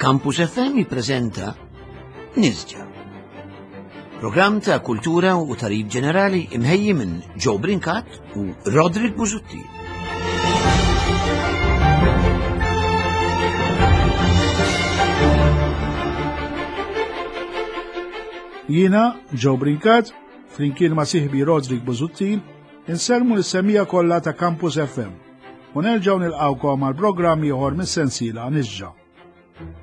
Campus FM jippreżenta Nisġa. Programm ta' kultura u tarif ġenerali imħejji minn Joe Brincat u Roderick Busuttil. Jiena, Joe Brincat, flimkien ma' sieħbi Roderick Busuttil, insellmu lis-semija kollha ta' Campus FM u nerġgħu nilqgħukom għal programm ieħor mis-sensiela Nisġa.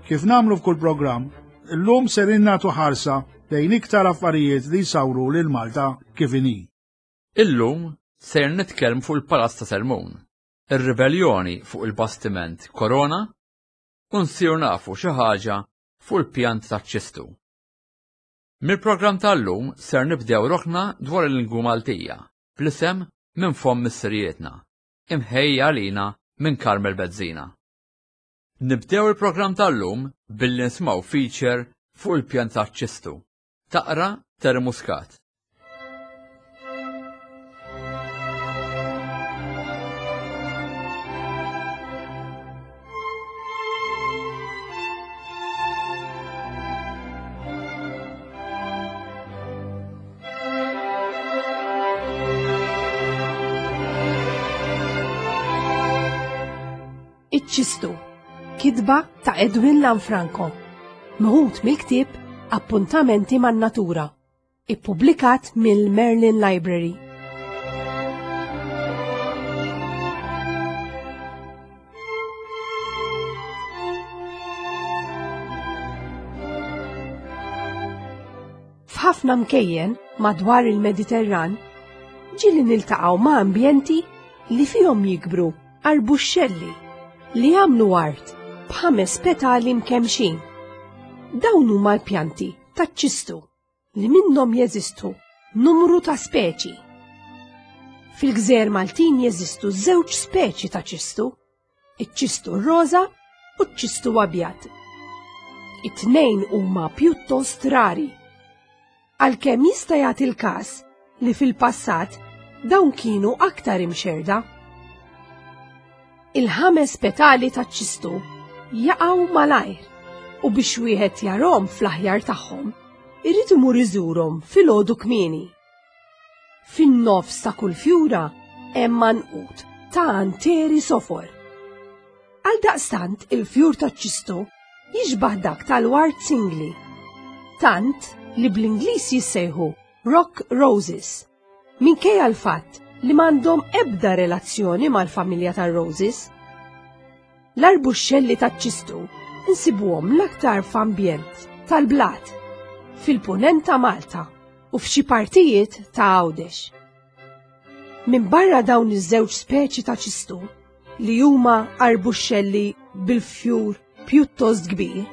Kif nagħmlu f'kull programm, illum ser nagħtu ħarsa lejn iktar affarijiet li jsawru lil Malta kif inhi. Illum ser nitkellmu fuq il-Palazz ta' Selmun, ir-ribelljoni fuq il-bastiment Korona u nsiru nafu xi ħaġa fuq il-pjanta taċ-ċistu. Mill-programm tal-lum ser nibdew rokna dwar il-lingwa Maltija bl-isem Minn Fomm Missirijietna, imħejja għalina minn Carmel Bezzina. Nibdew il-programm tal-lum billi nismgħu feature fuq il-pjan taċ-ċistu. Taqra Terry Muscat. Iċ-ċistu, kitba ta' Edwin Lanfranco, meħud mill-ktieb Appuntamenti man-Natura. Ippubblikat mill-Merlin Library. F'ħafna mkejjen madwar il-Mediterran ġieli niltaqgħu ma' ambjenti li fihom jikbru arbuxxelli li jagħmlu art b'ħames petali mkemmxin. Dawn huma l-pjanti taċ-ċistu li minnhom jeżistu numru ta' speċi. Fil-gżejjer Maltin jeżistu żewġ speċi ta' ċistu, iċ-ċistu roża u ċ-ċistu abjad. It-tnejn huma pjuttost rari. Għalkemm jista' jagħti l-każ li fil-passat dawn kienu aktar imxerda. Il-ħames petali taċ-ċistu jaqgħu malajr u biex wieħed jarhom fl-aħjar tagħhom, irid imur iżurhom filgħodu kmieni. Fin-nofs ta' kull fjura hemm għanqud ta' anteri sofor. Għaldaqstant il-fjur taċ-ċistu jixbah dak tal-ward singli. Tant li bl-Ingliż jissejħu rock roses. Minkejja l-fatt li m'għandhom ebda relazzjoni mal-familja tar-roses. L-arbuxxelli taċ-ċistu nsibuhom l-aktar f'ambjent tal-blat, fil-punent ta' Malta u f'xi partijiet ta' Għawdex. Minbarra dawn iż-żewġ speċi ta' ċistu, li huma arbuxxelli bil-fjur pjuttost kbir,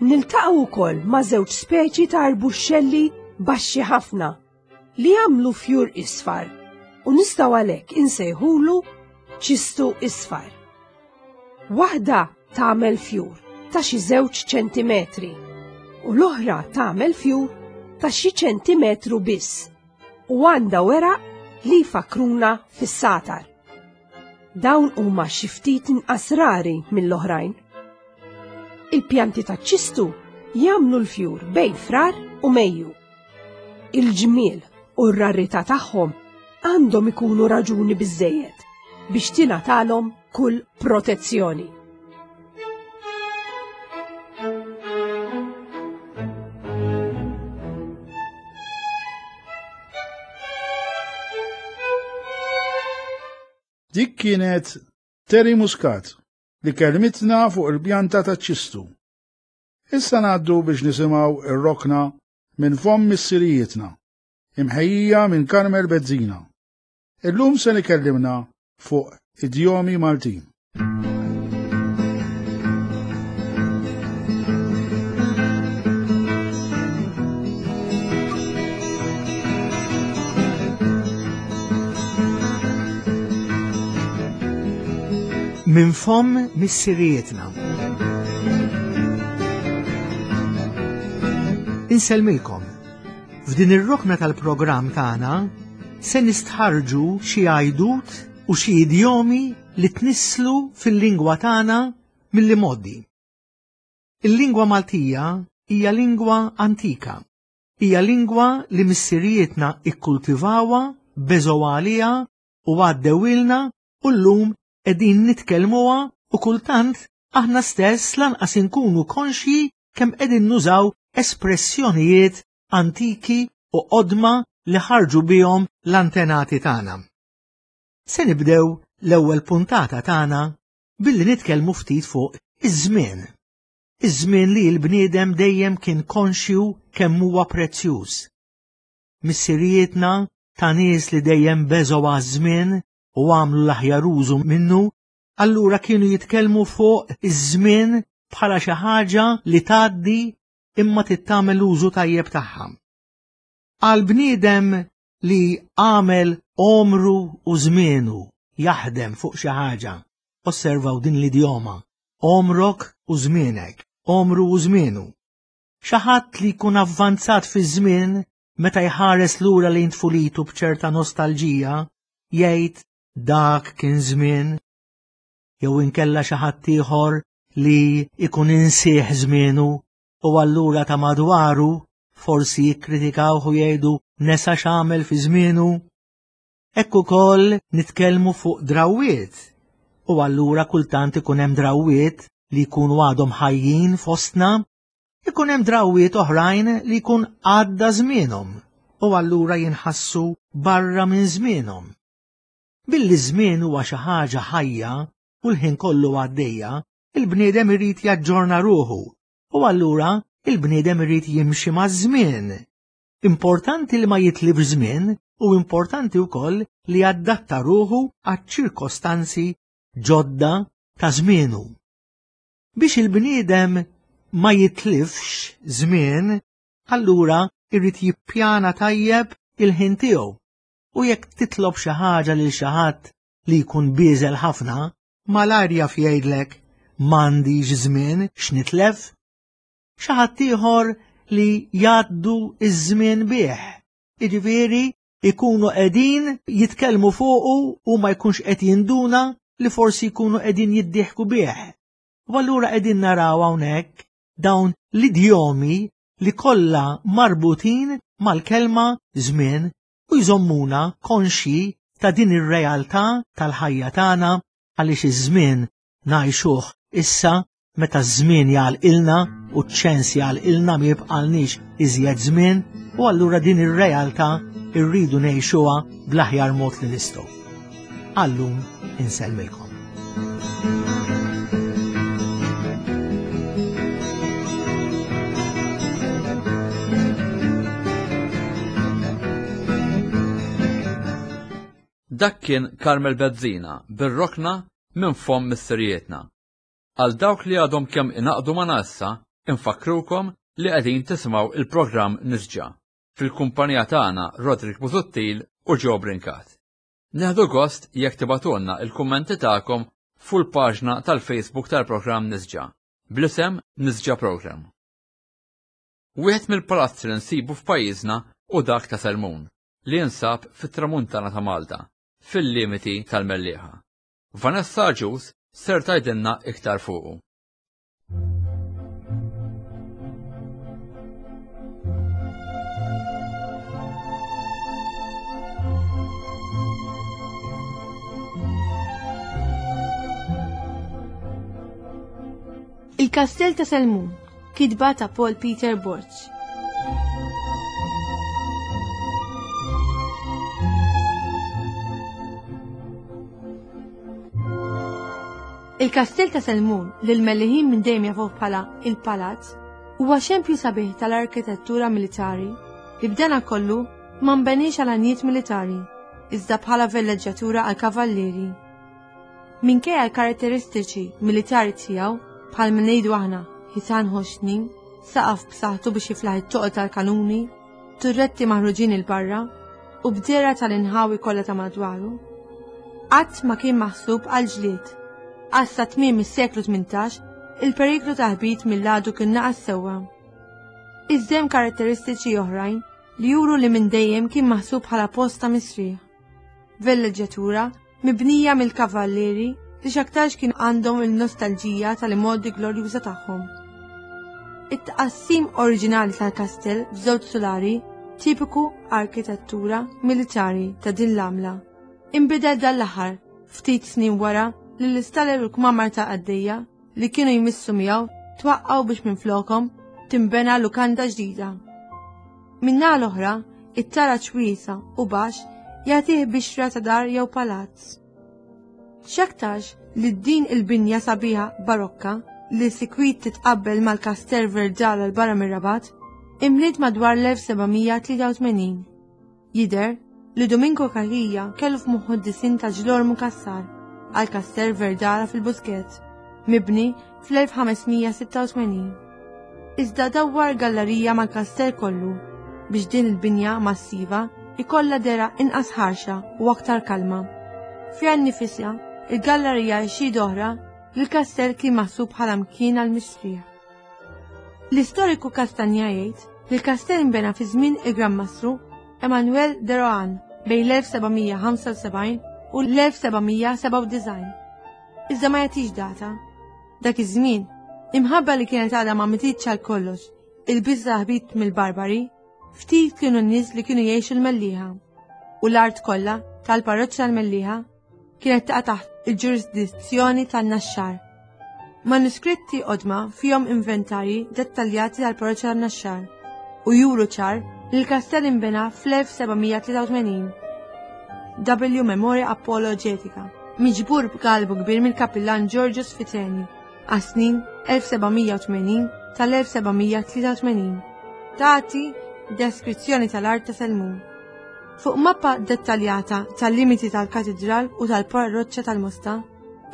niltaqgħu wkoll ma' żewġ speċi ta' arbuxxelli baxxi ħafna li jagħmlu fjur isfar u nistgħu għalhekk insejħulu ċistu isfar. Waħda tagħmel fjur ta' xi żewġ ċentimetri u l-oħra tagħmel fjur ta' xi ċentimetru biss u għandha weraq li jfakkruna fis-satar. Dawn huma xi ftit inqas rari mill-oħrajn. Il-pjanti taċ-ċistu jagħmlu l-fjur bejn Frar u Mejju. Il-ġmiel u r-rarità tagħhom għandhom ikunu raġuni biżżejjed biex tingħatalhom kull protezzjoni. Dik kienet Terry Muscat li kellmitna fuq il-pjanta taċ-ċistu. Issa ngħaddu biex nisimgħu ir-rokna minn fomm missirijietna, imħejjija minn Carmel Bezzina. Illum se nikellimna fuq idjomi Maltin. Minn fomm missirijietna. Insellmilkom. F'din ir-rokna tal-programm tagħna se nistħarrġu xi għajdut u xi idjomi li tnisslu fil-lingwa tagħna mill-imgħoddi. Il-lingwa Maltija hija lingwa antika. Hija lingwa li missirijietna ikkultivawha, beżgħu għaliha u għaddewilna u llum qegħdin nitkellmuha u kultant aħna stess lanqas inkunu konxji kemm qegħdin nużaw espressjonijiet antiki u qodma li ħarġu bihom l-antenati tagħna. Se nibdew l-ewwel puntata tagħna billi nitkellmu ftit fuq iż-żmien. Iż-żmien li l-bniedem dejjem kien konxju kemm huwa prezzjuż. Missirijietna ta' nies li dejjem beżgħu għaż-żmien u għamlu l-aħjar użu minnu, allura kienu jitkellmu fuq iż-żmien bħala xi ħaġa li tgħaddi imma tittamel użu tajjeb tagħha. Għal bniedem li għamel għomru u żmienu jaħdem fuq xi ħaġa, osservaw din l-idjoma, għomrok u żmienek, għomru u żmienu. Xi ħadd li jkun avvanzat fiż-żmien meta jħares lura lejn tfulitu b'ċerta nostalġija, jgħid dak kien żmien, jew inkella xi ħadd ieħor li ikun insieħ żmienu u allura ta' madwaru forsi jikkritikawh u jgħidu nesa x'għamel fi żmienu. Hekk ukoll nitkellmu fuq drawwiet u allura kultant ikun hemm drawwiet li jkunu għadhom ħajjin fostna, ikun hemm drawwiet oħrajn li jkun għadda żmienhom u allura jinħassu barra minn żmienhom. Billi żmien huwa xi ħaġa ħajja u l-ħin kollu għaddejja, il-bniedem irid jaġġorna ruħu u allura il-bniedem irid jimxi maż-żmien. Importanti li ma jitlifx żmien u importanti wkoll li jadatta ruħu għaċ-ċirkostanzi ġodda ta' żmienu. Biex il-bniedem ma jitlifx żmien, allura irid jippjana tajjeb il-ħin tiegħu. U jekk titlob xi ħaġa lil xi ħadd li jkun bieżel ħafna, malajr jaf jgħidlek m'għandix żmien x'nitlef. Xi ħadd ieħor li jgħaddu iż-żmien bih. Jiġifieri ikunu qegħdin jitkellmu fuqu u ma jkunx qed jinduna li forsi jkunu qegħdin jiddieħku bih. U allura qegħdin naraw hawnhekk dawn l-idjomi li kollha marbutin mal-kelma żmien u jżommuna konxji ta' din ir-realtà tal-ħajja tagħna għaliex iż-żmien ngħixuh issa meta ż-żmien jagħlqilna u ċ-ċens jagħlqilna ma jibqalniex iżjed żmien u allura din ir-realtà rridu ngħixuha bl-aħjar mod li nistgħu. Għallum insellmilkom. Dak kien Carmel Bezzina bir-rokna minn fomm missirijietna. Għal dawk li għadhom kemm ingħaqdu magħna issa, infakkrukom li qegħdin tisimgħu il-programm Nisġa fil-kumpanija tagħna Roderick Busuttil u Joe Brincat. Nieħdu gost jekk tibagħtulna l-kummenti tagħkom fuq il-paġna tal-Facebook tal-programm Nisġa bl-isem Nisġa Program. Wieħed mill-palazzi li nsibu f'pajjiżna hu dak ta' Selmun, li jinsab fit-tramuntana ta' Malta, fil-limiti tal-Mellieħa. Vanessa Agius ser tgħidilna iktar fuqu. Il-Kastell ta' Selmun, kitba ta' Paul Peter Borg. Il-Kastell ta' Selmun, li l-Melliħin minn dejjem jafuh bħala il-Palazz, huwa xempju sabiħ tal-arkitettura militari li b'dana kollu ma nbeniex għal għanijiet militari, iżda bħala velleġġjatura għal kavallieri. Minkejja l-karatteristiċi militari tiegħu, bħal ma ngħidu aħna ħitan ħoxnin, saqaf b'saħħtu biex jiflaħ it-toqol tal-kanuni, turretti maħruġin 'il barra u b'dehra tal-inħawi kollha ta' madwaru. Qatt ma kien maħsub għal ġlied. Għax sa tmiem is-seklu 18 il-periklu ta' ħbit mill-għadu kien naqas sewwa. Iżda hemm karatteristiċi oħrajn li juru li minn dejjem kien maħsub bħala post ta' mistrieħ. Velleġġjatura mibnija mill-kavallieri li x'aktarx kien għandhom il-nostalġija tal-imgħoddi glorjuża tagħhom. It-tqassim oriġinali tal-kastell f'żewġ sulari, tipiku arkitettura militari ta' din l-għamla, inbidel dan l-aħħar ftit snin wara li l-istaller u l-kmamar ta' qaddejja li kienu jmissu miegħu twaqqgħu biex minflokhom tinbena lukanda ġdida. Min-naħa l-oħra, it-taraġ wiesa' u baxx jagħtih bixra ta' dar jew palazz. X'aktarx li din il-binja sabiħa barokka li sikwit titqabbel mal-Castel Verdala 'l barra mir-Rabat, imliet madwar l-1783. Jidher li Domingo Cachia kellu f'moħħu d-disinn ta' Ġlormu Cassar għal Castel Verdala fil-Buskett, mibni fl-1586. Iżda dawwar gallerija mal-kastell kollu biex din il-binja massiva jkollha dehra inqas ħarxa u aktar kalma. Fiha nnifisha, il-gallerija hi xhieda oħra li l-kastell kien maħsub bħala mkien għall-mistrieħ. L-istoriku Castagna jgħid li l-kastell inbena fi żmien il-Gran Mastru Emmanuel de Rohan bejn l-1775 u l-1797. Iżda ma jagħtix data. Dak iż-żmien, imħabba li kienet għadha ma mititx għal kollox il-biża' ħbit mill-barbari, ftit kienu n-nies li kienu jgħixu l-Mellieħa. U l-art kollha tal-parroċċa l-Mellieħa kienet taqa' taħt il-ġurisdizzjoni tan-Naxxar. Manuskritti qodma fihom inventarji dettaljati tal-parroċċa tan-Naxxar u juru ċar li l-kastell inbena fl-1783. W Memoria Apologetica, miġbur b'galbu kbir mill-Kapillan Giorgio Sfiteni għas-snin 1780 tal-1783. Tagħti deskrizzjoni tal-art ta' Selmun. Fuq mappa dettaljata tal-limiti tal-katidral u tal-parroċċa tal-Mosta,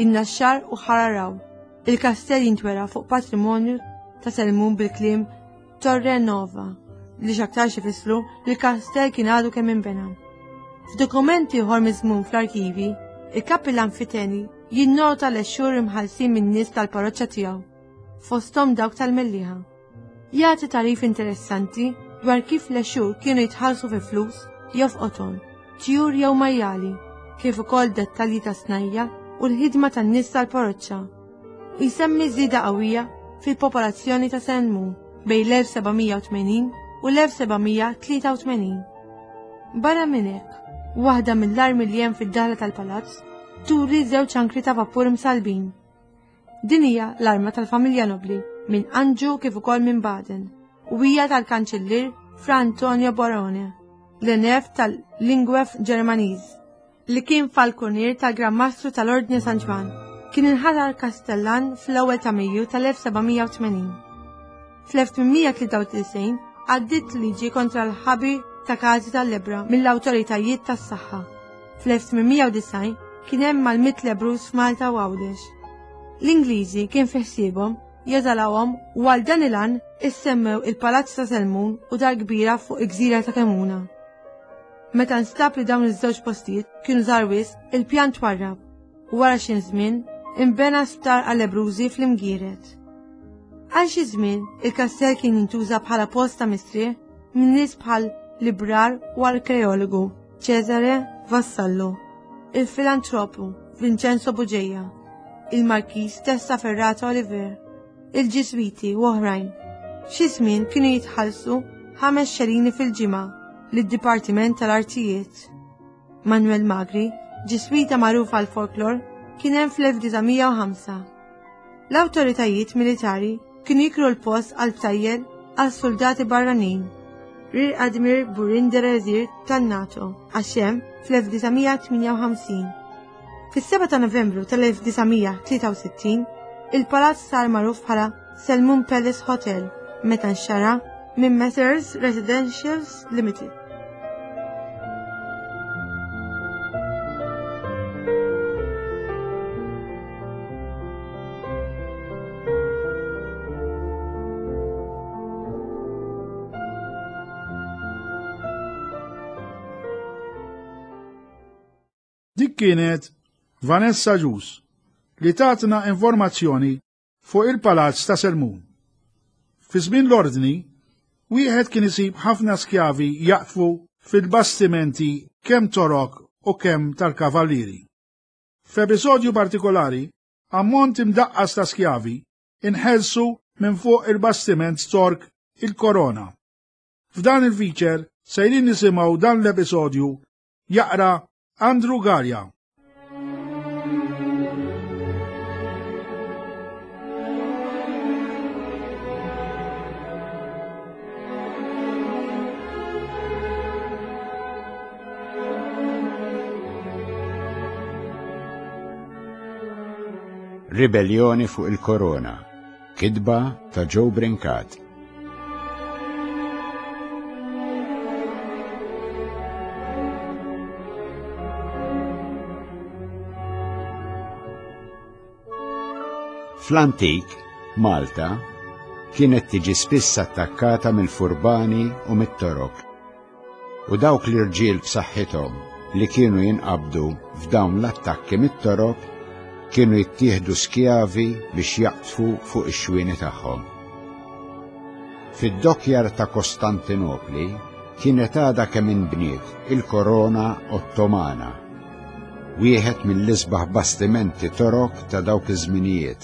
in-Naxxar u Ħararaw, il-kastell jintwera fuq patrimonju ta' Selmun bil-kliem Torre Nova, li x'aktarx ifissru li l-kastell kien għadu kemm inbena. F'dokumenti ieħor miżmum fl-arkivi, il-Kapillan Fiteni jinnota l-għexxur imħallsin min-nies tal-parroċċa tiegħu, fosthom dawk tal-Mellieħa. Jagħti tagħrif interessanti dwar kif l-għexur kienu jitħallsu fi flus jew f'qoton, tjur jew majjali, kif ukoll dettalji ta' snajja u l-ħidma tan-nies tal-parroċċa. U jsemmi żieda qawwija fil-popolazzjoni ta' Selmun bejn l-1780 u l-1783. Barra minn hekk, waħda mill-armi li hemm fid-daħla tal-palazz turi żewġ ankri ta' vapur msallbin. Din hija l-arma tal-familja nobbli minn Anġu kif ukoll minn Baden u hija tal-Kanċillier Fra Antonio Barone, l-enef tal-Lingwef Ġermaniż, li kien falkunier tal-Gran Mastru tal-Ordni San Ġwann, kien inħatar Kastellan fl-ewwel ta' Mejju tal-1780. Fl-1893 għaddiet liġi kontra l-ħabi ta' każi tal-lebbra mill-awtoritajiet tas-saħħa. Fl-1890 kien hemm mal-mitt lebbruż f'Malta u Għawdex. L-Ingliżi kien fi ħsiebhom jeżalawhom u għal dan il-għan issemmew il-Palazz ta' Selmun u Dar Kbira fuq il-gżira ta' Kemuna. Meta nstab li dawn iż-żewġ postijiet kienu żgħar wisq, il-pjan twarrab u wara xi żmien inbena sptar għal-lebbrużi fl-Imgieret. Għal xi żmien il-kastell kien jintuża bħala post ta' mistrieħ minn nies bħal librar u arkeologu Cesare Vassallo, il-filantropu Vincenzo Bugeja, il-Markiż Testaferrata Oliver, il-Ġiżwiti u oħrajn. Xi żmien kienu jitħallsu ħames xelini fil-ġimgħa lid-Dipartiment tal-Artijiet. Manuel Magri, Ġiżwita magħruf għall-folklor, kien hemm fl-1905. L-awtoritajiet militari kienu jikru l-post għal btajjel għal soldati barranin. Rear Admiral Burin de Rezier tan-NATO għax hemm fl-1958. Fis-7 ta' Novembru tal-1963, il-palazz sar magħruf bħala Selmun Palace Hotel meta nxara minn Messrs Residentials Limited. Dik kienet Vanessa Ġus li tatna informazzjoni fuq il-Palazz ta' Selmun. Fi żmien l-Ordni, wieħed kien isib ħafna skjavi jaqdfu fil-bastimenti kemm Torok u kemm tal-Kavallieri. F'episodju partikolari, ammont imdaqqas ta' skjavi inħelsu minn fuq il-bastiment Stork il-Korona. F'dan il-feature sejrin nisimgħu dan l-episodju jaqra Andrew Galea. Ribellioni fuq il-Korona. Kitba ta' Joe Brincat. Fl-antik, Malta kienet tiġi spiss attakkata mill-furbani u mit-torok. U dawk l-irġiel b'saħħithom li kienu jinqabdu f'dawn l-attakki mit-Torok kienu jittieħdu skjavi biex jaqdfu fuq ix-xwieni tagħhom. Fid-dokkjar ta' Kostantinopli kienet għadha kemm inbniet il-Korona Ottomana, wieħed mill-isbaħ bastimenti Torok ta' dawk iż-żminijiet.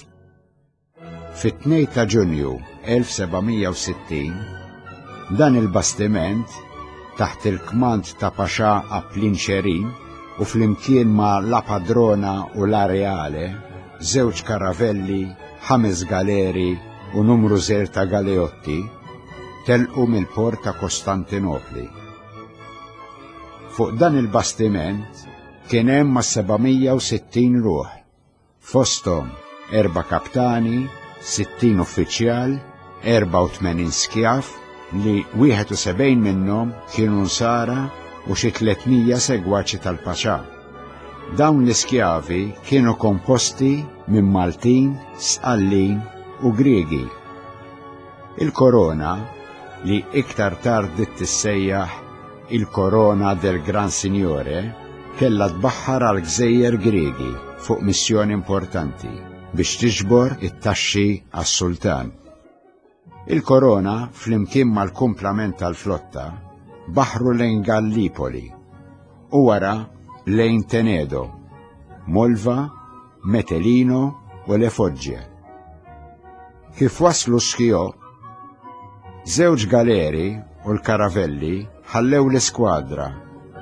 Fit-2 ta' Ġunju 1760, dan il-bastiment, taħt il-kmand ta' Paxà Aplin Xerin u flimkien ma' La Padrona u La Reale, żewġ karavelli, ħames galeri u numru żgħir ta' galeotti, telqu mill-port ta' Kostantinopli. Fuq dan il-bastiment kien hemm ma' 760 ruħ. Fosthom erba' kaptani, 60 uffiċjal, 84 skjav li 71 minnhom kienu Nsara u xi 300 segwaċi tal-Paxà. Dawn l-iskjavi kienu komposti minn Maltin, Sqallin u Griegi. Il-korona, li iktar tard bdiet tissejjaħ il-Corona del Gran Signore, kellha tbaħħar għal gżejjer Griegi fuq missjoni importanti biex tiġbor it-taxxi għas-sultan. Il-Korona, flimkien mal-kumplament tal-flotta, baħru lejn Gallipoli u wara lejn Tenedo, Molva, Metelino u Le Fogge. Kif waslu Schio, żewġ galeri u l-karavelli ħallew l-iskwadra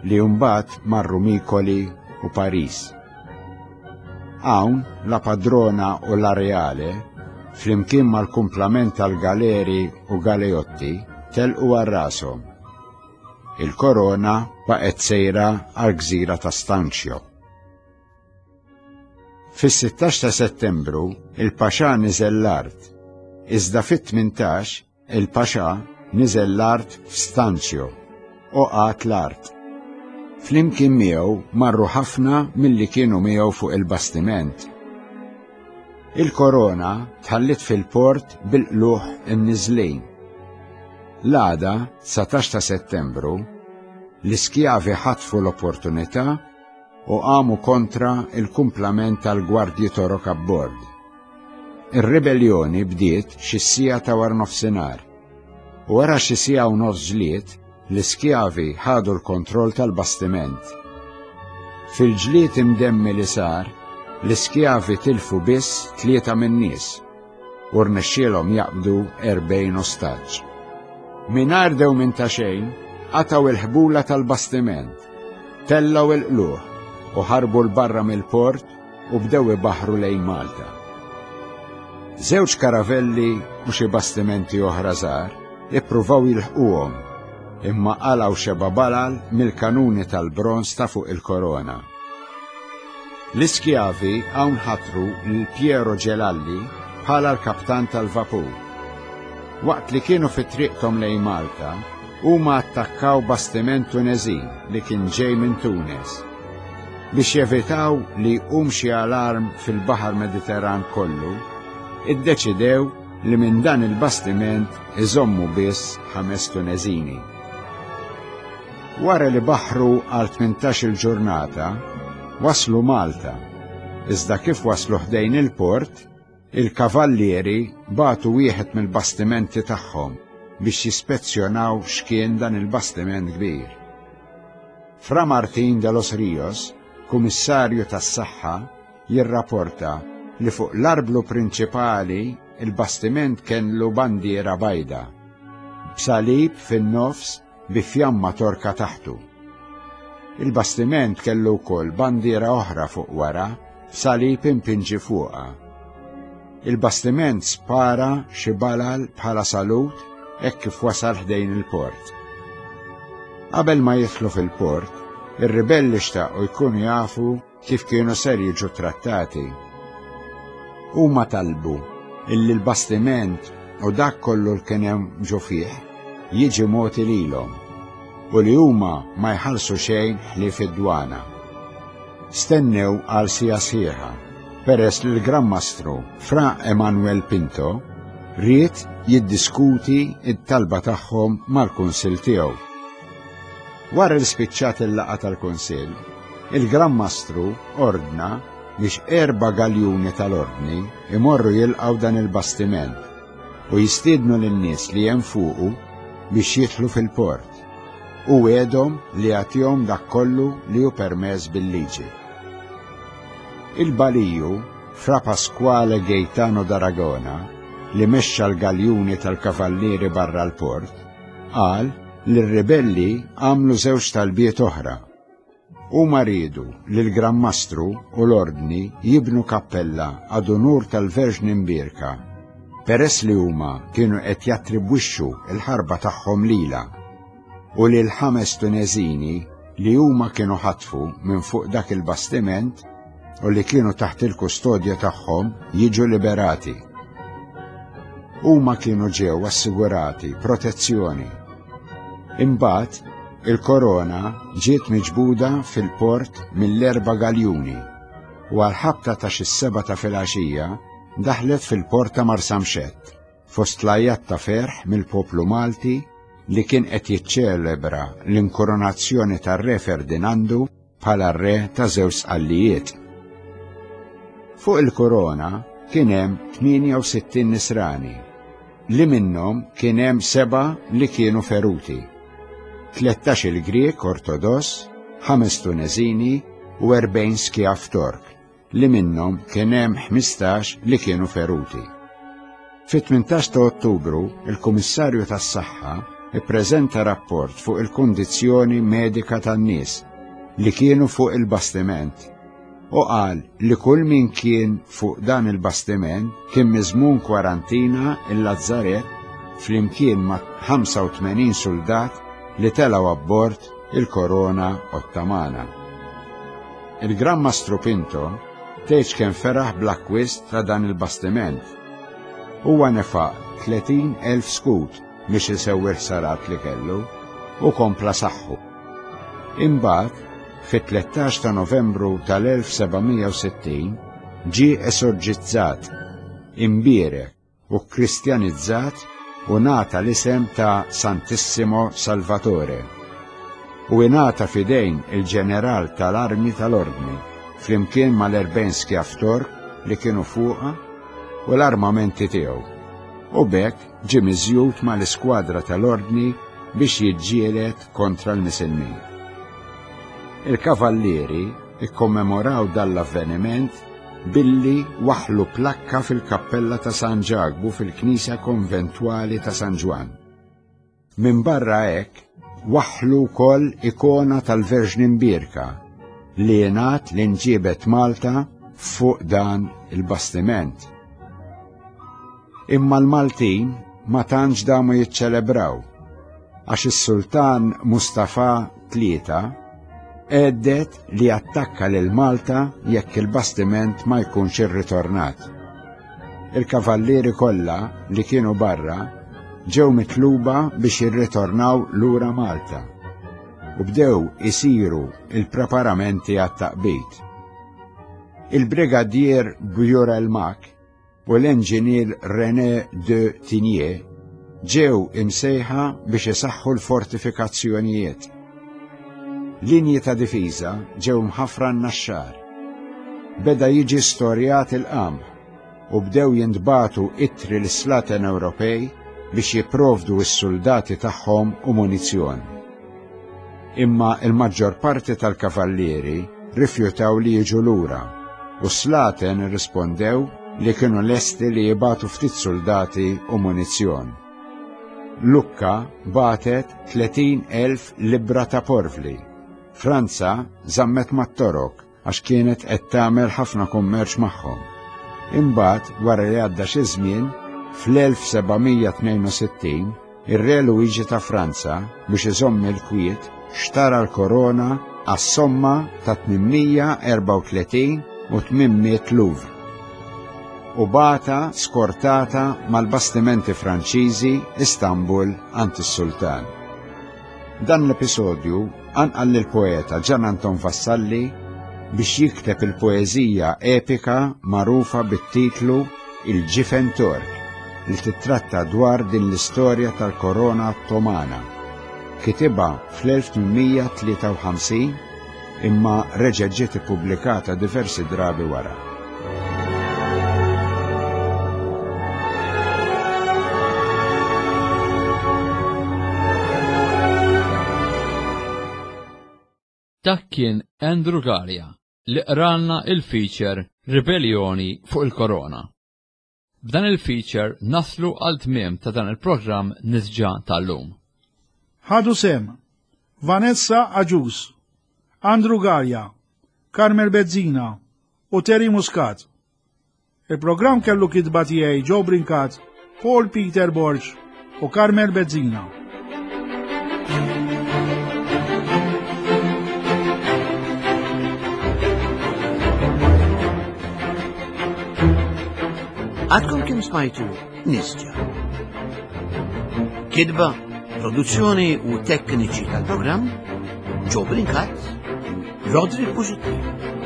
li mbagħad marru Mikoli u Paris. Hawn La Padrona u La Reale, flimkien mal-kumplament tal-galeri u galeotti, telqu għal rashom. Il-Korona baqgħet sejra għall-gżira ta' Stancio. Fis-16 ta' Settembru il-Paxà niżel l-art, iżda fit-18 il-Paxà niżel l-art f'Stanzio u qagħad l-art. Flimkien miegħu marru ħafna milli kienu miegħu fuq il-bastiment. Il-korona tħalliet fil-port bil-qlugħ imniżżlin. L-għada, 19 ta' Settembru, l-iskjavi ħatfu l-opportunità u qamu kontra l-kumplament tal-gwardji Torok abbord. Ir-ribelljoni bdiet xi siegħa ta' waranofsinhar u wara xi siegħa u nofs ġlied, l-iskjavi ħadu l-kontroll tal-bastiment. Fil-ġlied imdemmi li sar, l-iskjavi tilfu biss tlieta min-nies u rnexxielhom jaqbdu 40 ostaġġ. Mingħajr dewmien ta' xejn, qatgħu l-ħbula tal-bastiment, tellgħu l-qlugħ u ħarbu 'l barra mill-port u bdew ibaħħru lejn Malta. Żewġ karavelli u xi bastimenti oħra żgħar ippruvaw jilħquhom, imma qalgħu xeba' balal mill-kanuni tal-bronż ta' fuq il-korona. L-iskjavi hawn ħatru lil Piero Gelalli bħala l-kaptan tal-vapur. Waqt li kienu fi triqthom lejn Malta, huma attakkaw bastiment Tuneżin li kien ġej minn Tunes. Biex jevitaw li jqum xi alarm fil-Baħar Mediterran kollu, iddeċidew li minn dan il-bastiment iżommu biss ħames Tuneżini. Wara li baħħru għal tmintax-il ġurnata, waslu Malta, iżda kif waslu ħdejn il-port, il-kavallieri bagħtu wieħed mill-bastimenti tagħhom biex jispezzjonaw x'kien dan il-bastiment kbir. Fra Martin de los Rios, kumissarju tas-saħħa, jirrapporta li fuq l-arblu prinċipali il-bastiment kellu bandiera bajda, b'salib fin-nofs bi fjamma torka taħtu. Il-bastiment kellu wkoll bandiera oħra fuq wara b'salib impinġi fuqha. Il-bastiment spara xi balal bħala salut hekk kif wasal ħdejn il-port. Qabel ma jidħlu fil-port, ir-ribelli xtaqu jkunu jafu kif kienu ser jiġu trattati. Huma talbu illi l-bastiment u dak kollu l kien hemm ġo fih jiġi mogħti lilhom u li huma ma jħallsu xejn ħlief id-dwana. Stennew għal siegħa sħiħa peress li l-Gran Mastru Fra Emanuel Pinto ried jiddiskuti t-talba tagħhom mal-Kunsill tiegħu. Wara li spiċċat il-laqgħa tal-Kunsill, il-Gran Mastru ordna biex erba' galjuni tal-Ordni imorru jilqgħu dan il-bastiment u jistiednu lin-nies li hemm fuqu biex jidħlu fil-port, u wegħedhom li jagħtihom dak kollu li hu permess bil-liġi. Il-Baliju, Fra Pasquale Gaetano d'Aragona, li mexxa l-galjuni tal-kavallieri barra l-port, qal li r-ribelli għamlu żewġ talbiet oħra. Huma riedu li l-Gran Mastru u l-Ordni jibnu kappella ad unur tal-Verġni Mbierka, peress li huma kienu qed jattribwixxu l-ħarba tagħhom lilha, u li l-ħames Tuneżini li huma kienu ħatfu minn fuq dak il-bastiment u li kienu taħt il-kustodja tagħhom jiġu liberati. Huma kienu ġew assigurati protezzjoni. Imbagħad il-korona ġiet miġbuda fil-port mill-erba' galjuni u għal-ħabta ta' xi seba' ta' filgħaxija daħlet fil-port ta' Marsamxett fost l-għajat ta' ferħ mill-poplu Malti li kien qed jiċċelebra l-inkoronazzjoni tar-Re Ferdinandu bħala r-re ta' żewġ sqallijiet. Fuq il-korona kien hemm 68 nisrani, li minnhom kien hemm seba' li kienu feruti. 13 il-Grieg Ortodoss, ħames Tuneżini u 40 skjav Tork, li minnhom kien hemm 15 li kienu feruti. Fit-18 ta' Ottubru, il-Kummissarju tas-Saħħa ippreżenta rapport fuq il-kundizzjoni medika tan-nies li kienu fuq il-bastiment u qal li kull min kien fuq dan il-bastiment kien miżmum kwarantina il-Lazzaret flimkien ma' 85 suldat li telgħu abbord il-Korona Ottamana. Il-Gran Mastru Pinto tgħidx kemm feraħ bl-akkwist ta' dan il-bastiment. Huwa nefaq 30,000 skud biex isewwi l-ħsarat li kellu u kompla saħħu. Imbagħad, fit-13 ta' Novembru tal-1760 ġie esorġizzat, imbierek u kkristjanizzat u ngħata l-isem ta' Santissimo Salvatore u ingħata f'idejn il-ġeneral tal-armi tal-Ordni flimkien mal-40 skjav Tork li kienu fuqha u l-armamenti tiegħu u b'hekk ġie miżjud mal-iskwadra tal-Ordni biex jiġġieled kontra l-Misilmin. Il-Kavallieri ikkommemoraw dan l-avveniment billi waħħlu plakka fil-kappella ta' San Ġakbu fil-Knisja Konventwali ta' San Ġwann. Minbarra hekk, waħħlu wkoll ikona tal-Verġni Mbierka li jingħad li nġiebet Malta fuq dan il-bastiment. Imma l-Maltin ma tantx damu jiċċelebraw għax is-Sultan Mustafa Tlieta għeddet li jattakka lil Malta jekk il-bastiment ma jkunx irritornat. Il-kavallieri kollha li kienu barra ġew mitluba biex jirritornaw lura Malta u bdew isiru il-preparamenti għat-taqbid. Il-Brigadier Bjurel Mak u l-enġinier René de Tigné ġew imsejħa biex isaħħu l-fortifikazzjonijiet. Linji ta' difiża ġew mħaffra n-Naxxar. Beda jiġi storjat il-qamħ u bdew jintbagħtu ittri lis-slaten Ewropej biex jipprovdu s-suldati tagħhom u munizzjon. Imma il-maġġor parti tal-kavallieri rifjutaw li jiġu lura u s-slaten irrispondew li kienu lesti li jibatu ftit soldati u munizzjon. Lukka batet 30,000 libra ta' porvli. Franza żammet mat-Torok għax kienet qed tagħmel ħafna kummerċ magħhom. Imbagħad, wara li għadda xi żmien, fl-1762, ir-Re Luigi ta' Franza, biex iżomm il-kwiet, xtara l-korona għas-somma ta' 834 u 800 louvre u bagħatha skortata mal-bastimenti Franċiżi Istanbul għand is-Sultan. Dan l-episodju qanqal lill-poeta Gian Anton Vassalli biex jikteb il-poeżija epika magħrufa bit-titlu Il-Ġifen Tork li tittratta dwar din l-istorja tal-korona Ottomana. Kitibha fl-1853 imma reġgħet ġiet ippubblikata diversi drabi wara. Dak kien Andrew Galea li qralna il-feature Ribellioni fuq il-Korona. B'dan il-feature naslu għal tmiem ta' dan il-programm Nisġa tal-lum. Ħadu sehem Vanessa Agius, Andrew Galea, Carmel Bezzina u Terry Muscat. Il-programm kellu kitba tiegħi Joe Brincat, Paul Peter Borg u Carmel Bezzina. Għadkom kim smajtu Nisġa. Kidba, produzzjoni u tekniċi tal-programm Joe Brincat, Roderick Busuttil.